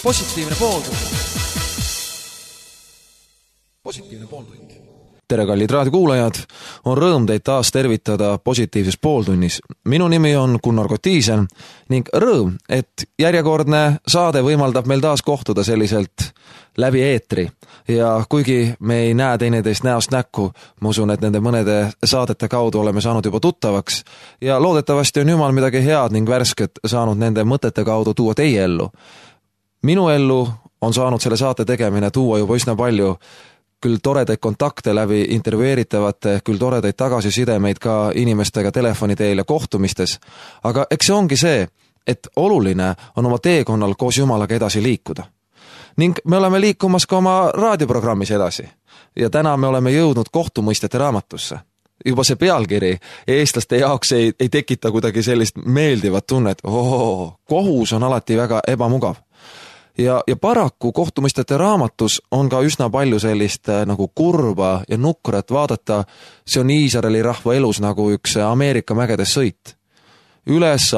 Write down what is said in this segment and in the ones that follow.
positiivne pooltund. Positiivne pooltund. Tere, kallid raadiokuulajad, on rõõm teid taas tervitada positiivses pooltunnis. Minu nimi on Gunnar Kotiisen ning rõõm, et järjekordne saade võimaldab meil taas kohtuda selliselt läbi eetri. Ja kuigi me ei näe teineteist näost näkku, ma usun, et nende mõnede saadete kaudu oleme saanud juba tuttavaks ja loodetavasti on Jumal midagi head ning värsket saanud nende mõtete kaudu tuua teie ellu. Minu ellu on saanud selle saate tegemine tuua juba üsna palju küll toredaid kontakte läbi intervjueeritavate, küll toredaid tagasisidemeid ka inimestega telefoni teel ja kohtumistes. Aga eks see ongi see, et oluline on oma teekonnal koos Jumalaga edasi liikuda. Ning me oleme liikumas ka oma raadioprogrammis edasi. Ja täna me oleme jõudnud kohtumõistete raamatusse. Juba see pealkiri eestlaste jaoks ei tekita kuidagi sellist meeldivat tunnet. Kohus on alati väga ebamugav. Ja paraku kohtumõistete raamatus on ka üsna palju sellist nagu kurba ja nukrat vaadata. See on Iisraeli rahva elus nagu üks Ameerika mägedes sõit. Üles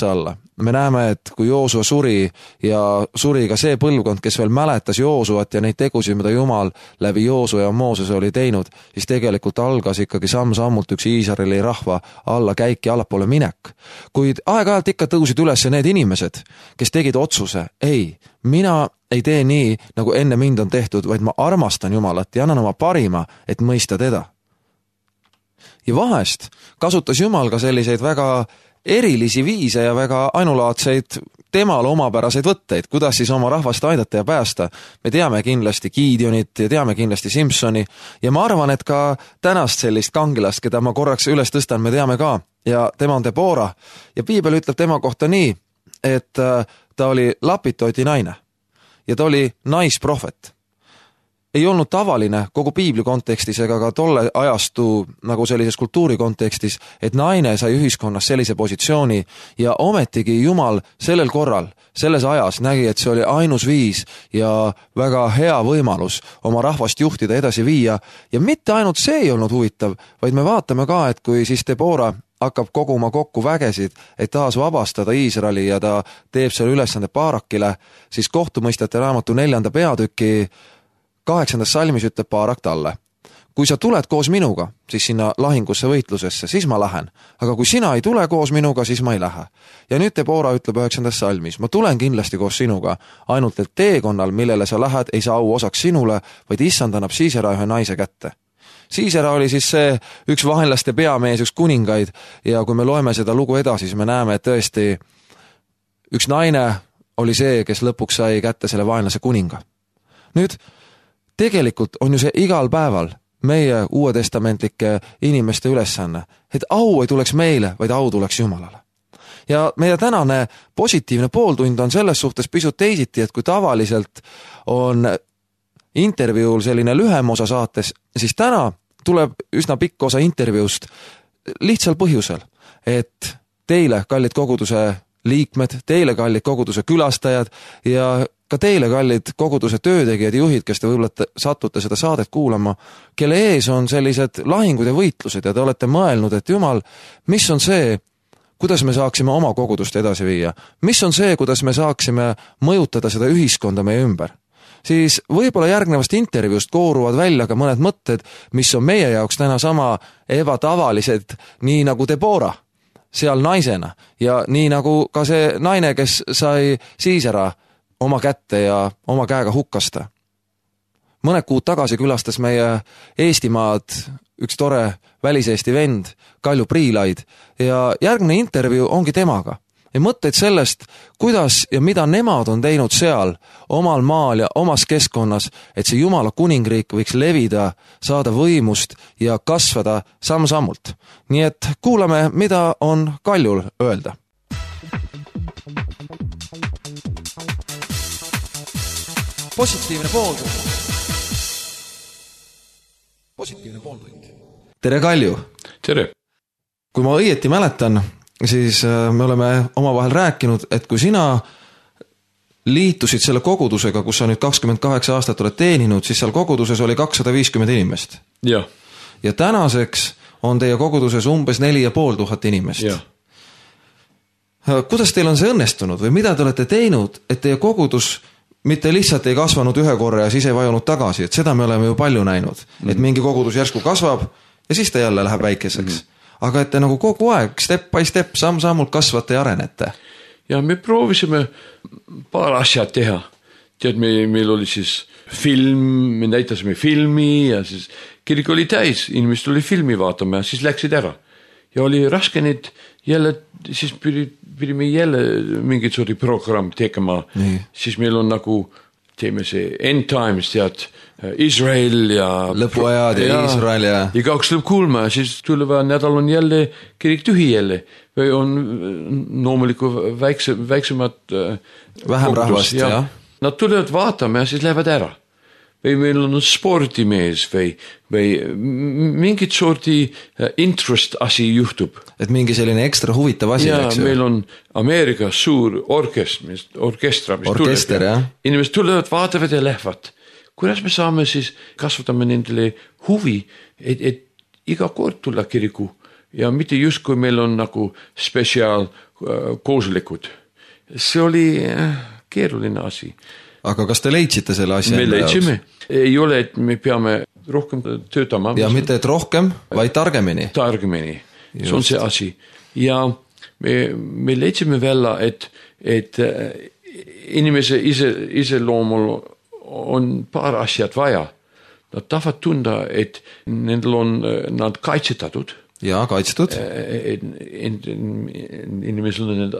alla. Me näeme, et kui Joosua suri ja suri ka see põlvkond, kes veel mäletas Joosuat ja neid tegusid, mida Jumal läbi Joosua ja Mooses oli teinud, siis tegelikult algas ikkagi samm-sammult üks Iisraeli rahva alla käik ja allapoole minek. Kuid aeg-ajalt ikka tõusid üles need inimesed, kes tegid otsuse, ei, mina ei tee nii, nagu enne mind on tehtud, vaid ma armastan Jumalat ja annan oma parima, et mõista teda. Ja vahest kasutas Jumal ka selliseid väga erilisi viise ja väga ainulaadseid temale omapäraseid võtteid, kuidas siis oma rahvast aidata ja päästa. Me teame kindlasti Gideonit ja teame kindlasti Simsoni ja ma arvan, et ka tänast sellist kangilast, keda ma korraks üles tõstan, me teame ka ja tema on Debora ja Piibel ütleb tema kohta nii, et ta oli lapitoti naine ja ta oli naisprohvet. Ei olnud tavaline kogu Piibli kontekstis ega ka tolle ajastu nagu sellises kultuuri kontekstis, et naine sai ühiskonnas sellise positsiooni ja ometigi Jumal sellel korral, selles ajas nägi, et see oli ainus viis ja väga hea võimalus oma rahvast juhtida edasi viia ja mitte ainult see ei olnud huvitav, vaid me vaatame ka, et kui siis Debora hakkab koguma kokku vägesid, et taas vabastada Iisraeli ja ta teeb selle ülesande Baarakile, siis kohtumõistjate raamatu 4. peatüki 8. salmis ütleb Baarak talle. Kui sa tuled koos minuga, siis sinna lahingusse võitlusesse, siis ma lähen. Aga kui sina ei tule koos minuga, siis ma ei lähe. Ja nüüd Debora ütleb 9. salmis. Ma tulen kindlasti koos sinuga, ainult et teekonnal, millele sa lähed, ei saa au osaks sinule, vaid issand annab Siisera ühe naise kätte. Siisera oli siis see üks vaenlaste peamees, üks kuningaid ja kui me loeme seda lugu edasi, siis me näeme, et tõesti üks naine oli see, kes lõpuks sai kätte selle vaenlase kuninga. Nüüd tegelikult on ju see igal päeval meie uuetestamentlike inimeste ülesanne, et au ei tuleks meile, vaid au tuleks Jumalale. Ja meie tänane positiivne pooltund on selles suhtes pisut teisiti, et kui tavaliselt on intervjuul selline lühem osa saates, siis täna tuleb üsna pikk osa intervjuust lihtsal põhjusel, et teile, kallid koguduse liikmed, teile, kallid koguduse külastajad ja ka teile, kallid koguduse töötegijad ja juhid, kes te võib-olla satute seda saadet kuulama, kelle ees on sellised lahingud ja võitlused ja te olete mõelnud, et Jumal, mis on see, kuidas me saaksime oma kogudust edasi viia? Mis on see, kuidas me saaksime mõjutada seda ühiskonda meie ümber? Siis võib-olla järgnevast intervjuust kooruvad välja ka mõned mõtted, mis on meie jaoks täna sama ebatavalised, nii nagu Debora seal naisena ja nii nagu ka see naine, kes sai Siisera oma kätte ja oma käega hukkasta. Mõned kuud tagasi külastas meie Eestimaad üks tore väliseesti vend, Kalju Priilaid, ja järgmine intervjuu ongi temaga. Ja mõtteid sellest, kuidas ja mida nemad on teinud seal, omal maal ja omas keskkonnas, et see Jumala kuningriik võiks levida, saada võimust ja kasvada samm-sammult. Nii et kuulame, mida on Kaljul öelda. Positiivne pooltund. Positiivne pooltund. Tere, Kalju! Tere! Kui ma õieti mäletan, siis me oleme omavahel rääkinud, et kui sina liitusid selle kogudusega, kus sa nüüd 28 aastat oled teeninud, siis seal koguduses oli 250 inimest. Ja. Ja tänaseks on teie koguduses umbes 4500 inimest. Ja. Kuidas teil on see õnnestunud või mida te olete teinud, et teie kogudus mitte lihtsalt ei kasvanud ühe korra ja siis ei vajunud tagasi, et seda me oleme ju palju näinud, et mingi kogudus järsku kasvab ja siis ta jälle läheb väikeseks. Aga et te nagu kogu aeg, step by step, samm-sammult kasvate ja arenete. Ja me proovisime paar asja teha. Tead, meil oli siis film, me näitasime filmi ja siis kirik oli täis, inimesed oli filmi vaatama ja siis läksid ära. Ja oli raske neid jälle, siis pidime jälle mingit sorti programm tegema. Siis meil on nagu, teeme see End Times, tead, Israel ja lõpuajad ja Israel ja igaks lõpp kuulma ja siis tuleva nädal on jälle kirik tühi jälle või on loomuliku väiksemad vähem rahvast, jah. Nad tulevad vaatama ja siis lähevad ära. Või meil on spordimees või mingit sorti interest asi juhtub. Et mingi selline ekstra huvitav asi. Ja meil on Ameerikas suur orkester, jah. Inimesed tulevad, vaatavad ja lähevad. Kuidas me saame siis kasvatame nendele huvi, et iga kord tulla kiriku ja mitte just kui meil on nagu spetsiaal kooslikud. See oli keeruline asi. Aga kas te leidsite selle asja? Me leidsime. Ei ole, et me peame rohkem töötama. Ja mitte et rohkem, vaid targemini. Targemini. See on see asi. Ja me leidsime välja, et inimese ise loomul on paar asjad vaja. Nad tahavad tunda, et nendel on nad kaitsetatud. Ja, kaitstud. Inimesel need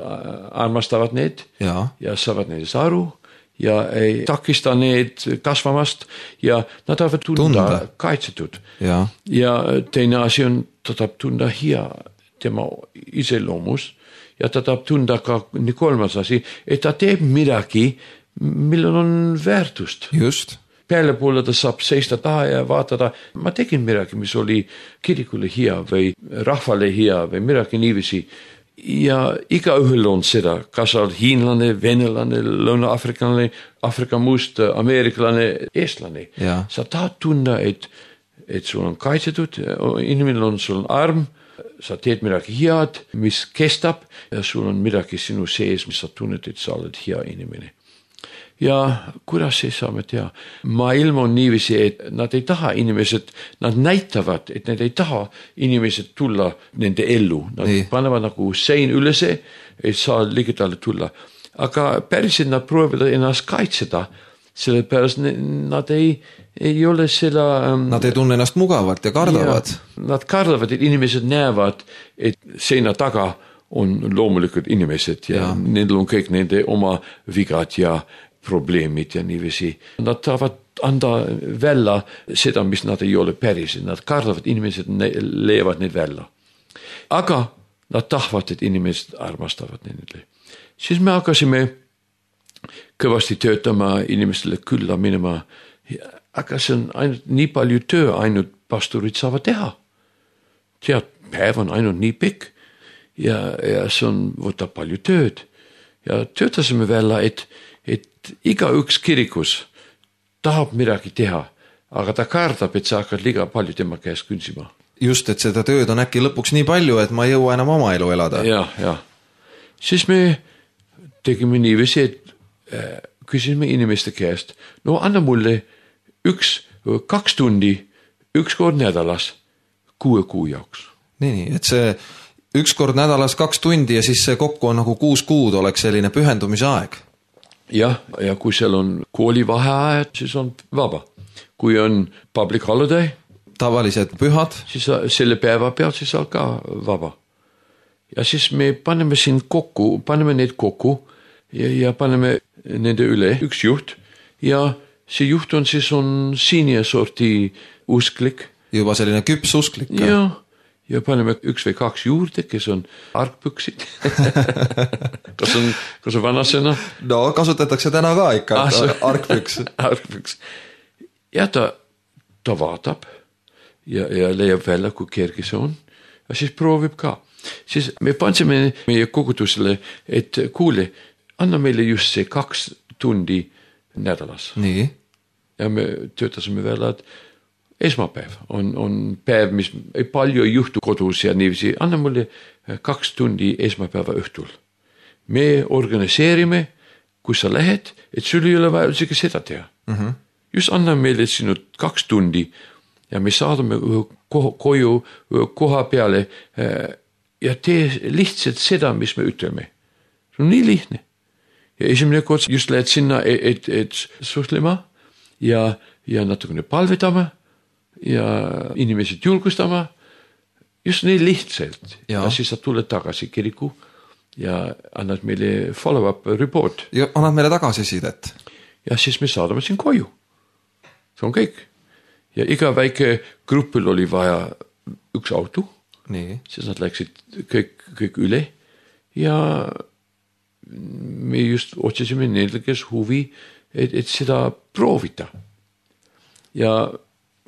armastavad need ja saavad neist aru. Ja ei takista need kasvamast ja nad tahavad tunda kaitsetud. Ja teine asi on, ta tahab tunda hea tema iseloomus ja ta tahab tunda ka nii kolmas asi, et ta teeb midagi, millel on väärtust. Just. Peale poole ta saab seista taha ja vaatada, ma tegin midagi, mis oli kirikule hea või rahvale hea või midagi niivisi. Ja igaühel on seda, kas on hiinlane, venelane, lõuna-afrikanlane, Afrika must, ameeriklane, eestlane. Sa tahad tunda, et sul on kaitsetud, inimene on sul arm, sa teed midagi head, mis kestab ja sul on midagi sinu sees, mis sa tunned, et sa oled hea inimene. Ja kuidas see saame teha? Maailm on niivisi, et nad ei taha inimesed, nad näitavad, et nad ei taha inimesed tulla nende ellu. Nad panevad nagu sein ülese, et saa ligitale tulla. Aga päriselt nad proovivad ennast kaitseda, sellepärast nad ei ole seda... Nad ei tunne ennast mugavalt ja kardavad. Nad kardavad, et inimesed näevad, et seina taga on loomulikud inimesed ja nendel on kõik nende oma vigad ja probleemid ja niivisi. Nad tahavad anda välja seda, mis nad ei ole päris. Nad kardavad, inimesed leiavad neid välja. Aga nad tahavad, et inimesed armastavad nendele. Siis me hakkasime kõvasti töötama inimestele külla minema. Aga see on ainult nii palju töö, ainult pastorid saavad teha. Tead, päev on ainult nii pikk ja see võtab palju tööd. Ja töötasime välja, et iga üks kirikus tahab midagi teha, aga ta kardab, et sa hakkad liiga palju tema käest künsima. Just, et seda tööd on äkki lõpuks nii palju, et ma ei jõua enam oma elu elada. Ja. Siis me tegime niivisi, et küsisime inimeste käest, no anna mulle 2 tundi, 1 kord nädalas 6 kuu jaoks. Nii, et see 1 kord nädalas 2 tundi ja siis see kokku on nagu 6 kuud oleks selline pühendumise aeg. Ja kui seal on koolivaheajad, siis on vaba. Kui on public holiday, tavalised pühad, siis selle päeva pealt siis on ka vaba. Ja siis me paneme neid kokku ja paneme nende üle 1 juht ja see juht on siis siinie sorti usklik. Juba selline küps usklik. Ja paneme 1 või 2 juurde, kes on arkpüksid. kas on vanasena? No kasutatakse täna ka ikka, arkpüks. Arkpüks. Ja ta vaatab ja leiab välja, kui kerge see on. Ja siis proovib ka. Siis me pansime meie kogudusele, et kuule, anna meile just see 2 tundi nädalas. Nii. Ja me töötasime välja, et esmapäev on päev, mis palju ei juhtu kodus ja niivisi. Anna mulle 2 tundi esmapäeva õhtul. me organiseerime, kus sa lähed, et sul ei ole vaja isegi seda teha. Just anna meile sinu 2 tundi ja me saadame koju koha peale ja tee lihtsalt seda, mis me ütleme. See on nii lihtne. Ja esimene kord just lähed sinna, et suhtlema ja natukene palvetama ja inimesed julgustama. Just nii lihtsalt. Ja siis sa tuled tagasi kiriku ja annad meile follow-up report. Ja annad meile tagasisidet. Ja siis me saadame siin koju. See on kõik. Ja iga väike grupil oli vaja 1 auto. Nii. Siis nad läksid kõik üle ja me just otsisime neile, kes huvi, et seda proovida. Ja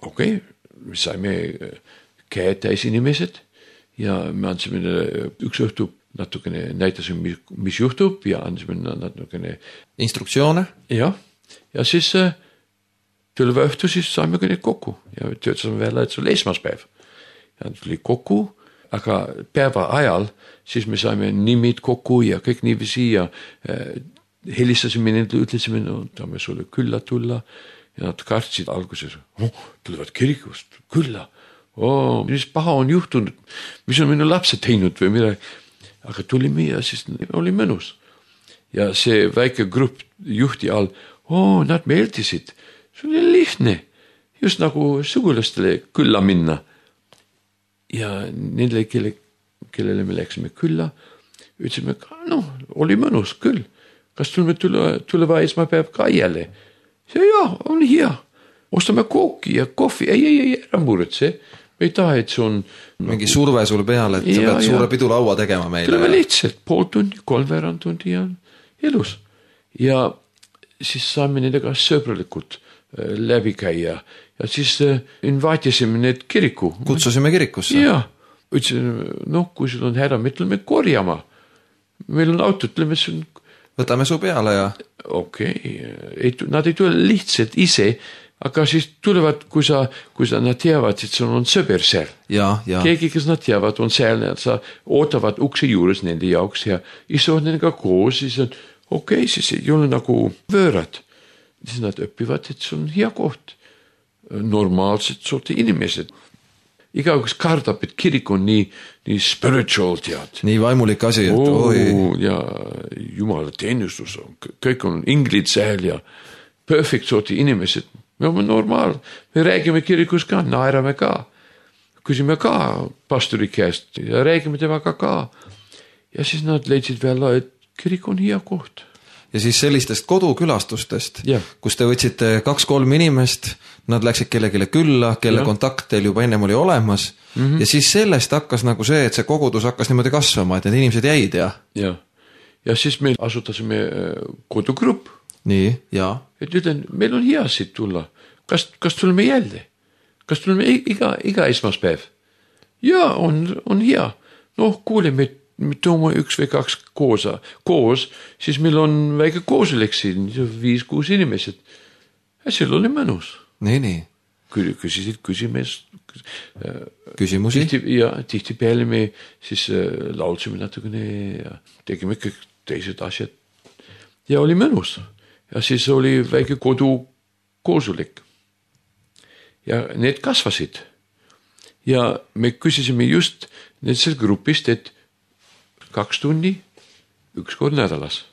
okei, me saime käed täis inimesed ja me andsime üks õhtu natukene näitasime, mis juhtub ja andsime natukene instruktsioone. Ja siis tuleva õhtu siis saime kõik kokku ja töötasime välja, et see oli esmaspäev. Ja tuli kokku, aga päeva ajal siis me saime nimid kokku ja kõik niiviisi ja helistasime nendele, ütlesime, no tahame sulle külla tulla ja nad kartsid alguses, tulevad kirikust külla. Mis paha on juhtunud, mis on minu lapsed teinud või midagi. Aga tulime ja siis oli mõnus. Ja see väike grupp juhti all, nad meeldisid. See oli lihtne, just nagu sugulastele külla minna. Ja nendele, kellele me läksime külla, ütlesime, oli mõnus küll. Kas tuleva esmapäev ka jälle? On hea. Ostame kooki ja kohvi. Ei, ära muretse. Me ei taha, et see on mingi surve sul peal, et sa pead suure pidulaua tegema meile. Tuleme lihtsalt 0,5 tundi, 3/4 tundi ja elus. Ja siis saame nendega sõbralikult läbi käia ja siis invaatisime need kiriku. Kutsusime kirikusse. Ja, ütlesime, kui sul on häda, me tuleme korjama. Meil on auto, tuleme sul. Võtame su peale ja. Okei, nad ei tule lihtsalt ise, aga siis tulevad, kui nad teavad, et sul on sõber seal. Ja. Keegi, kes nad teavad, on seal ja sa ootavad ukse juures nende jaoks ja istuvad nendega koos, siis on siis ei ole nagu võõrad. Siis nad õpivad, et see on hea koht. Normaalsed sorti inimesed. Igaüks kardab, et kirik on nii spiritual tead. Nii vaimulik asi, et ja jumala teenistus on, kõik on inglid seal ja perfect sorti inimesed. Me oleme normaal, me räägime kirikus ka, naerame ka, küsime ka pastori käest ja räägime temaga ka. Ja siis nad leidsid välja, et kirik on hea koht. Ja siis sellistest kodukülastustest, kus te võtsite 2-3 inimest, nad läksid kellegile külla, kelle kontakt teil juba ennem oli olemas ja siis sellest hakkas nagu see, et see kogudus hakkas niimoodi kasvama, et need inimesed jäid ja siis me asutasime kodugrupp. Nii, ja. Et ütlen, meil on hea siit tulla. Kas tuleme jälle? Kas tuleme iga esmaspäev? Ja, on hea. Kuule, me toome 1 või 2 koos, siis meil on väike koosolek siin, 5-6 inimesed. Ja seal oli mõnus. Nii. Küsisid küsimusi? Ja tihti peale me siis laulsime natukene ja tegime kõik teised asjad. Ja oli mõnus. Ja siis oli väike kodukoosolek. Ja need kasvasid. Ja me küsisime just nendest grupist, et 2 tundi, 1 kord nädalas.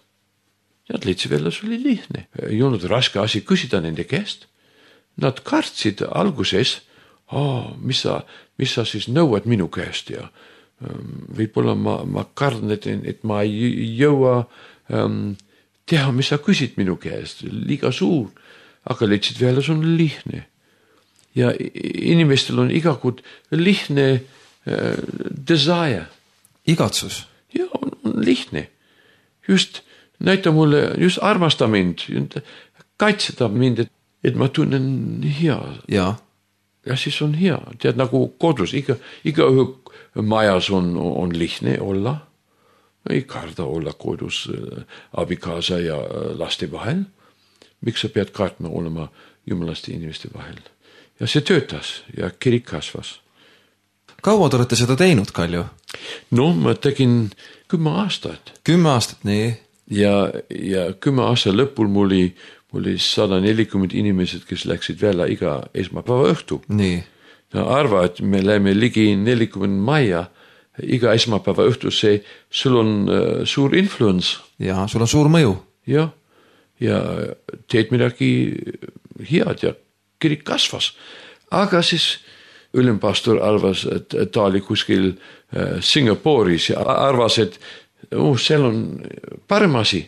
Nad leidsid veel, see oli lihtne. Ei olnud raske asi küsida nende käest. Nad kartsid alguses, mis sa siis nõuad minu käest ja võib-olla ma kardan, et ma ei jõua teha, mis sa küsid minu käest, liiga suur, aga leidsid veel, see on lihtne. Ja inimestel on igakord lihtne desire. Igatsus? Ja, on lihtne. Just näita mulle, just armasta mind, kaitseda mind, et ma tunnen hea. Ja siis on hea. Tead, nagu kodus, iga majas on lihtne olla. Ei karda olla kodus abikaasa ja laste vahel. Miks sa pead kartma olema jumalaste inimeste vahel? Ja see töötas ja kirik kasvas. Kaua te olete seda teinud, Kalju? No ma tegin 10 aastat 10 aastat, nii. ja 10 aasta lõpul mul oli 140 inimesed, kes läksid välja iga esmapäeva õhtu. Nii. No arva, et me läheme ligi 40 majja iga esmapäeva õhtu, sul on suur influence. Ja sul on suur mõju. Ja teed midagi head ja kirik kasvas. Aga siis ülempastor arvas, et ta oli kuskil Singapuris ja arvas, et seal on parem asi.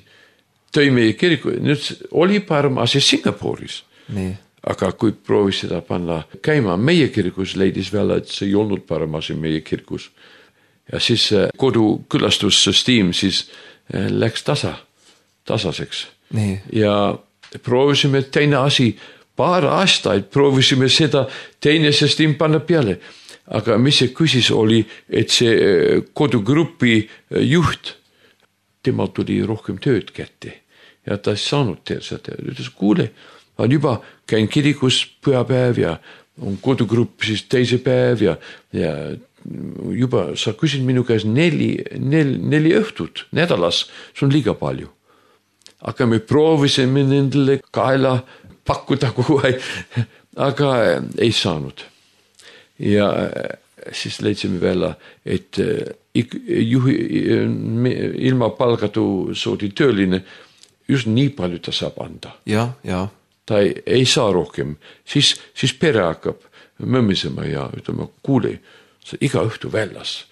Tõi meie kiriku, nüüd oli parem asi Singapuris. Nii. Aga kui proovis seda panna käima meie kirikus, leidis välja, et see ei olnud parem asi meie kirikus. Ja siis kodukülastussüsteem siis läks tasaseks. Nii. Ja proovisime teine asi, paar aastaid proovisime seda teine süsteem panna peale. Aga mis see küsis oli, et see kodugrupi juht, temal tuli rohkem tööd kätte ja ta ei saanud teha seda. Ütles, kuule, ma juba käin kirikus pühapäev ja on kodugrupp siis teise päev ja juba sa küsid minu käes 4 õhtut nädalas, see on liiga palju. Aga me proovisime nendele kaela pakkuda kogu aeg, aga ei saanud. Ja siis leidsime välja, et ilma palgatu soodi tööline just nii palju ta saab anda. Ja. Ta ei saa rohkem. Siis pere hakkab mõmisema ja ütleme, kuule, sa iga õhtu väljas.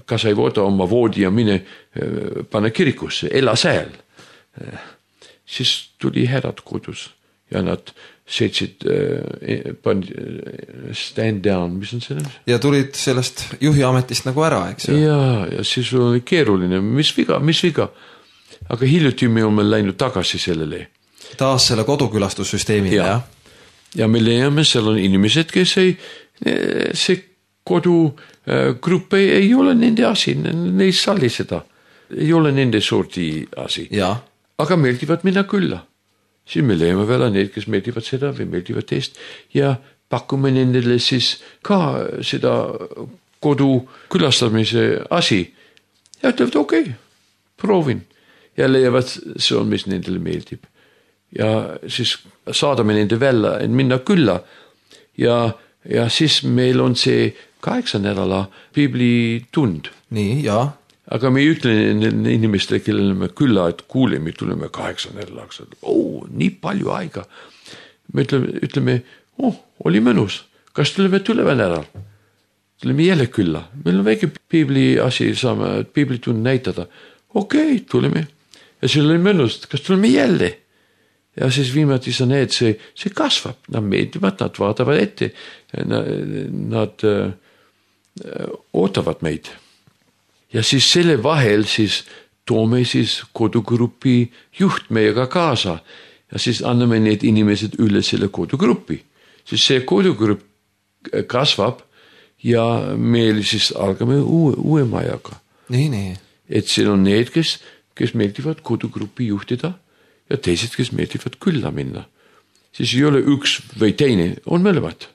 Kas ei võta oma voodi ja mine pane kirikusse, ela seal. Siis tuli härrad kodus ja nad seitsid stand down, mis on selle? Ja tulid sellest juhi ametist nagu ära, eks ju? Ja siis oli keeruline, mis viga. Aga hiljuti me oleme läinud tagasi sellele. Taas selle kodukülastussüsteemile, jah? Ja me leiame, seal on inimesed, kes see kodugrupp ei ole nende asi, ne ei salli seda. Ei ole nende sorti asi. Ja. Aga meeldivad minna külla. Siis me leiame veel need, kes meeldivad seda või meeldivad teist ja pakume nendele siis ka seda kodu külastamise asi. Ja ütlevad, okei, proovin. Ja leiavad, see on, mis nendele meeldib. Ja siis saadame nende välja, et minna külla. Ja siis meil on see 8 nädala piiblitund. Nii, ja. Aga me ei ütle inimestele, kellele me külla, et kuule, me tuleme 8 nädalaks. Nii palju aega. Me ütleme, oli mõnus. Kas tuleme tuleva nädal? Tuleme jälle külla. Meil on väike piibli asi, saame piiblitund näitada. Okei, tuleme. Ja seal oli mõnus, kas tuleme jälle? Ja siis viimati sa näed, see kasvab. Nad meeldivad, nad vaatavad ette. Nad ootavad meid. Ja siis selle vahel siis toome siis kodugrupi juht meiega kaasa ja siis anname need inimesed üle selle kodugrupi. Siis see kodugrupp kasvab ja meil siis algame uue majaga. Nii. Et siin on need, kes meeldivad kodugrupi juhtida ja teised, kes meeldivad külla minna. Siis ei ole üks või teine, on mõlemad.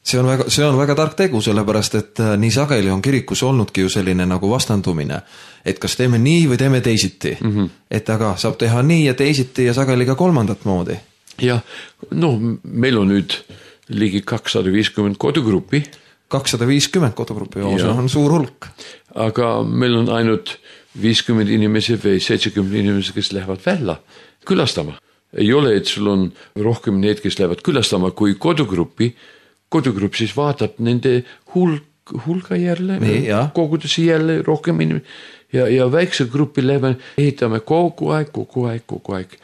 See on väga tark tegu, sellepärast, et nii sageli on kirikus olnudki ju selline nagu vastandumine, et kas teeme nii või teeme teisiti. Et aga saab teha nii ja teisiti ja sageli ka kolmandat moodi. Ja, meil on nüüd ligi 250 kodugrupi. 250 kodugrupi, see on suur hulk. Aga meil on ainult 50 inimesi või 70 inimesi, kes lähevad välja külastama. Ei ole, et sul on rohkem need, kes lähevad külastama kui kodugrupi. Kodugrupp siis vaatab nende hulga jälle, koguduse jälle rohkem inimesi ja väikse grupi läbi ehitame kogu aeg.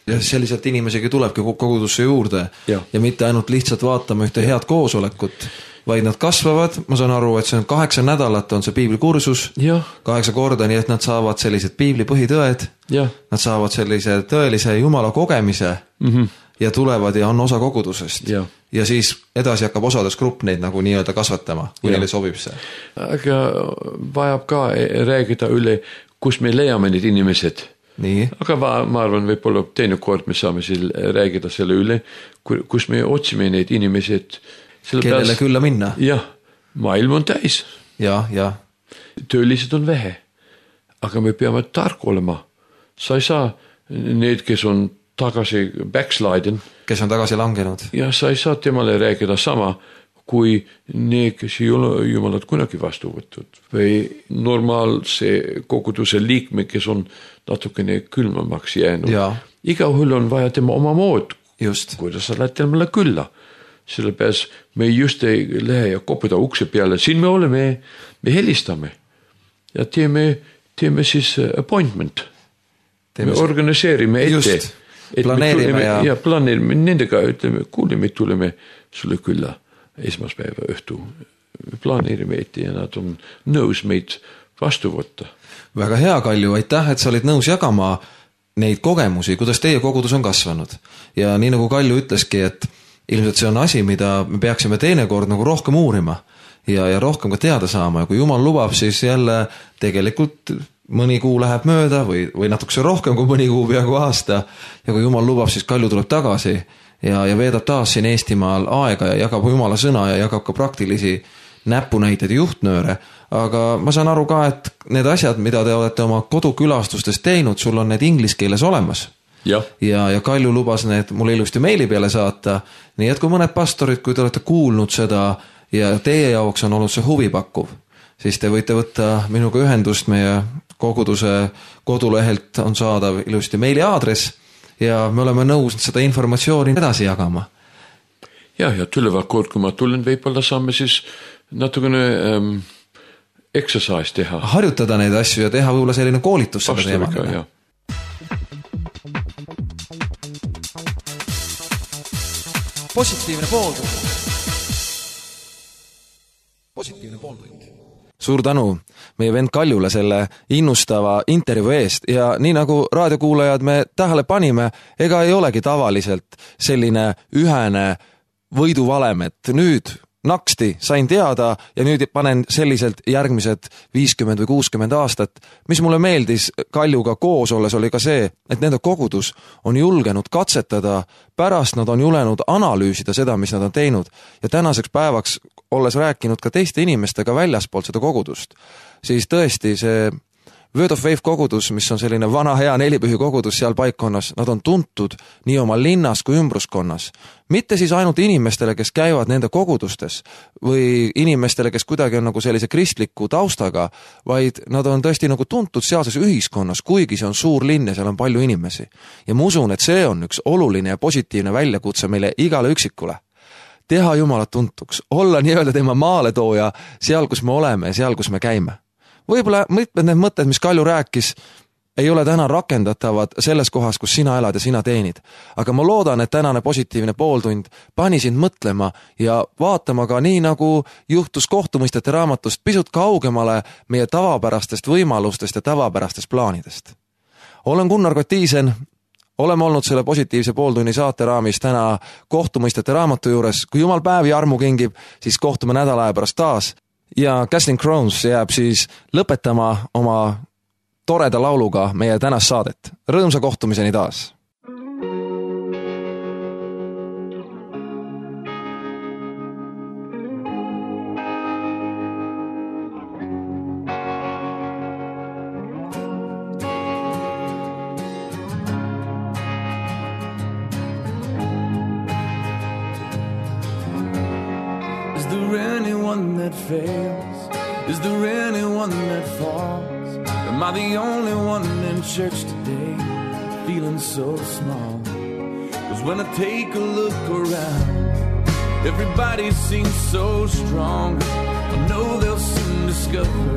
Ja selliselt inimesegi tulebki kogudusse juurde ja mitte ainult lihtsalt vaatama ühte head koosolekut, vaid nad kasvavad, ma saan aru, et see on 8 nädalat on see piiblikursus, 8 korda, nii et nad saavad sellised piibli põhitõed, nad saavad sellise tõelise Jumala kogemise ja tulevad ja on osa kogudusest. Ja siis edasi hakkab osades grupp neid nagu nii-öelda kasvatama, kui neile sobib see. Aga vajab ka räägida üle, kus me leiame need inimesed. Nii. Aga ma arvan, võib-olla teine kord me saame räägida selle üle, kus me otsime need inimesed. Kellele külla minna. Jah, maailm on täis. ja. Töölised on vähe, aga me peame tark olema. Sa ei saa need, kes on tagasi backsliden. Kes on tagasi langenud. Ja sa ei saa temale rääkida sama, kui need, kes ei ole jumalat kunagi vastu võtnud. Või normaalse koguduse liikme, kes on natukene külmamaks jäänud. Ja. Igahul on vaja tema oma mood, Just. kuidas sa lähed temale külla. Sellepärast me just ei lähe ja kopuda ukse peale. Siin me oleme, me helistame ja teeme siis appointment. Me organiseerime ette. Just, planeerime ja planeerime nendega, ütleme, kuule, me tuleme sulle külla esmaspäeva õhtu. Me planeerime ette ja nad on nõus meid vastu võtta. Väga hea, Kalju, aitäh, et sa olid nõus jagama neid kogemusi, kuidas teie kogudus on kasvanud. Ja nii nagu Kalju ütleski, et ilmselt see on asi, mida me peaksime teinekord nagu rohkem uurima ja rohkem ka teada saama. Ja kui Jumal lubab, siis jälle tegelikult mõni kuu läheb mööda või natukese rohkem kui mõni kuu, peaaegu aasta. Ja kui Jumal lubab, siis Kalju tuleb tagasi ja veedab taas siin Eestimaal aega ja jagab Jumala sõna ja jagab ka praktilisi näpunäiteid ja juhtnööre. Aga ma saan aru ka, et need asjad, mida te olete oma kodukülastustes teinud, sul on need inglise keeles olemas. Ja Kalju lubas need mulle ilusti meili peale saata. Nii et kui mõned pastorid, kui te olete kuulnud seda ja teie jaoks on olnud see huvipakkuv, siis te võite võtta minuga ühendust. Meie koguduse kodulehelt on saadav ilusti meili aadress ja me oleme nõus seda informatsiooni edasi jagama. Ja tuleva kord, kui ma tulen, võib-olla saame siis natukene exercise teha. Harjutada neid asju ja teha võib-olla selline koolitus seda teemadele. Positiivne pooltund. Positiivne pooltund. Suur tänu meie vend Kaljule selle innustava intervjuu eest ja nii nagu raadiokuulajad me tähele panime, ega ei olegi tavaliselt selline ühene võiduvalem, et nüüd naksti sain teada ja nüüd panen selliselt järgmised 50 või 60 aastat. Mis mulle meeldis Kaljuga koos olles oli ka see, et nende kogudus on julgenud katsetada, pärast nad on julenud analüüsida seda, mis nad on teinud ja tänaseks päevaks olles rääkinud ka teiste inimestega väljaspoolt seda kogudust, siis tõesti see Word of Faith kogudus, mis on selline vana hea nelipühi kogudus seal paikkonnas, nad on tuntud nii oma linnas kui ümbruskonnas. Mitte siis ainult inimestele, kes käivad nende kogudustes või inimestele, kes kuidagi on nagu sellise kristliku taustaga, vaid nad on tõesti nagu tuntud sealses ühiskonnas, kuigi see on suur linn ja seal on palju inimesi. Ja ma usun, et see on üks oluline ja positiivne väljakutse meile igale üksikule. Teha Jumalat tuntuks, olla nii-öelda tema maaletooja seal, kus me oleme ja seal, kus me käime. Võib-olla mitmed need mõtted, mis Kalju rääkis, ei ole täna rakendatavad selles kohas, kus sina elad ja sina teenid. Aga ma loodan, et tänane positiivne pooltund pani sind mõtlema ja vaatama ka nii, nagu juhtus kohtumõistete raamatust pisut kaugemale meie tavapärastest võimalustest ja tavapärastest plaanidest. Olen Gunnar Kotiisen, oleme olnud selle positiivse pooltunni saate raamis täna kohtumõistete raamatu juures. Kui Jumal päevi armu kingib, siis kohtume nädala aja pärast taas. Ja Casting Crowns jääb siis lõpetama oma toreda lauluga meie tänast saadet. Rõõmsa kohtumiseni taas! Is there anyone that fails? Is there anyone that falls? Am I the only one in church today feeling so small? 'Cause when I take a look around, everybody seems so strong. I know they'll soon discover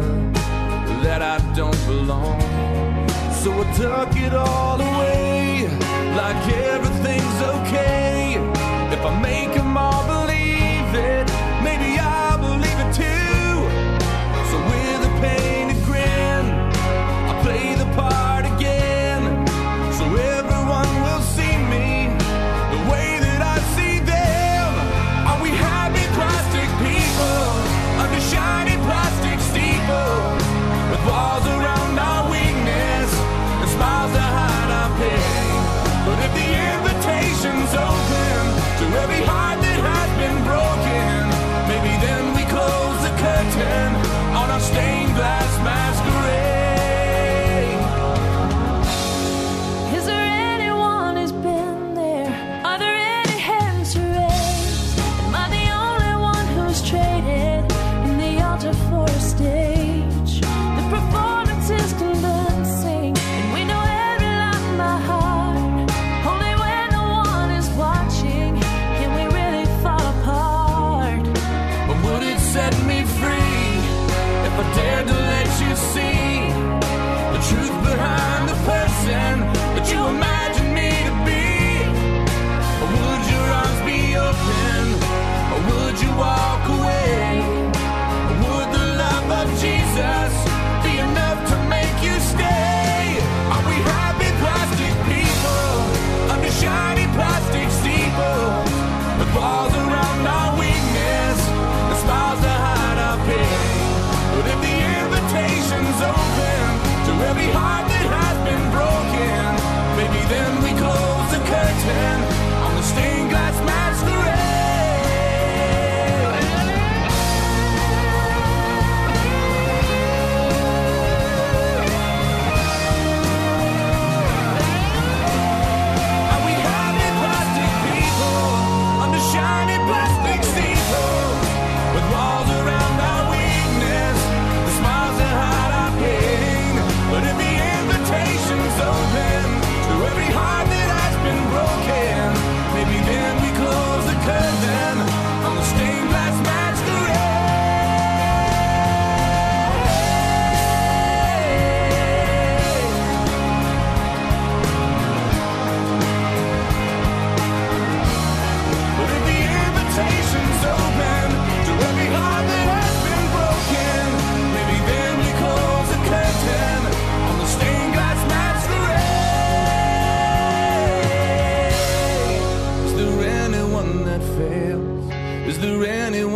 that I don't belong. So I tuck it all away like everything's okay. If I make them all believe it, maybe I'll believe it too. So with a painted grin, I'll play the part again, so everyone will see me the way that I see them. Are we happy plastic people under shiny plastic steeples, with walls around our weakness and smiles to hide our pain? But if the invitation's open to every heart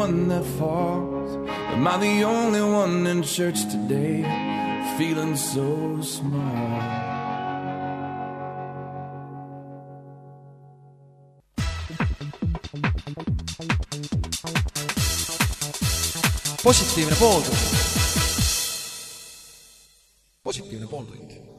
one that falls? Am I the only one in church today feeling so small? Positiivne pooltund. Positiivne pooltund.